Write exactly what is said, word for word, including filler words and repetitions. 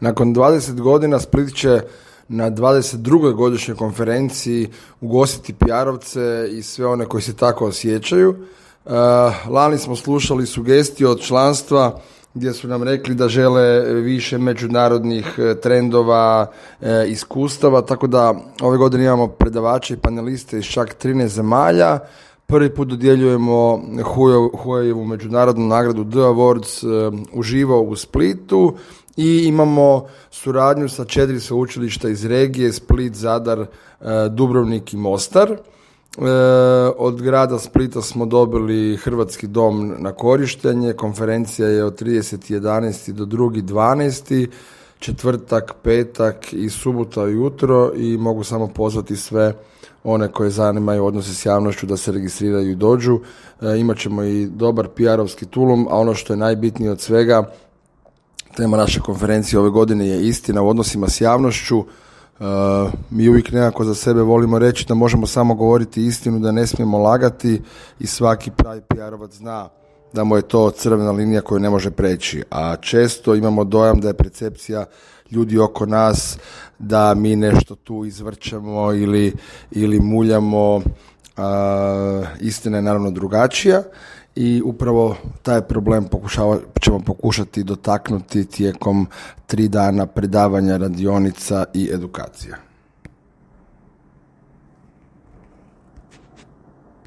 Nakon dvadeset godina Split će na dvadeset drugoj godišnjoj konferenciji ugostiti P R-ovce i sve one koji se tako osjećaju. Uh, lani smo slušali sugestije od članstva gdje su nam rekli da žele više međunarodnih trendova, e, iskustava, tako da ove godine imamo predavače i paneliste iz čak trinaest zemalja. Prvi put dodjeljujemo Huaweiovu međunarodnu nagradu The Awards e, uživo u Splitu i imamo suradnju sa četiri sveučilišta iz regije, Split, Zadar, e, Dubrovnik i Mostar. E, od grada Splita smo dobili Hrvatski dom na korištenje. Konferencija je od trideset jedanaesti do drugi dvanaesti, četvrtak, petak i subota ujutro i mogu samo pozvati sve one koje zanimaju odnose s javnošću da se registriraju i dođu. E, imat ćemo i dobar P R-ovski tulum, a ono što je najbitnije od svega, tema naše konferencije ove godine je istina u odnosima s javnošću. Uh, mi uvijek nekako za sebe volimo reći da možemo samo govoriti istinu, da ne smijemo lagati i svaki pravi P R-ovac zna da mu je to crvena linija koju ne može preći. A često imamo dojam da je percepcija ljudi oko nas da mi nešto tu izvrćemo ili, ili muljamo. Uh, istina je naravno drugačija i upravo taj problem pokušava, ćemo pokušati dotaknuti tijekom tri dana predavanja, radionica i edukacija.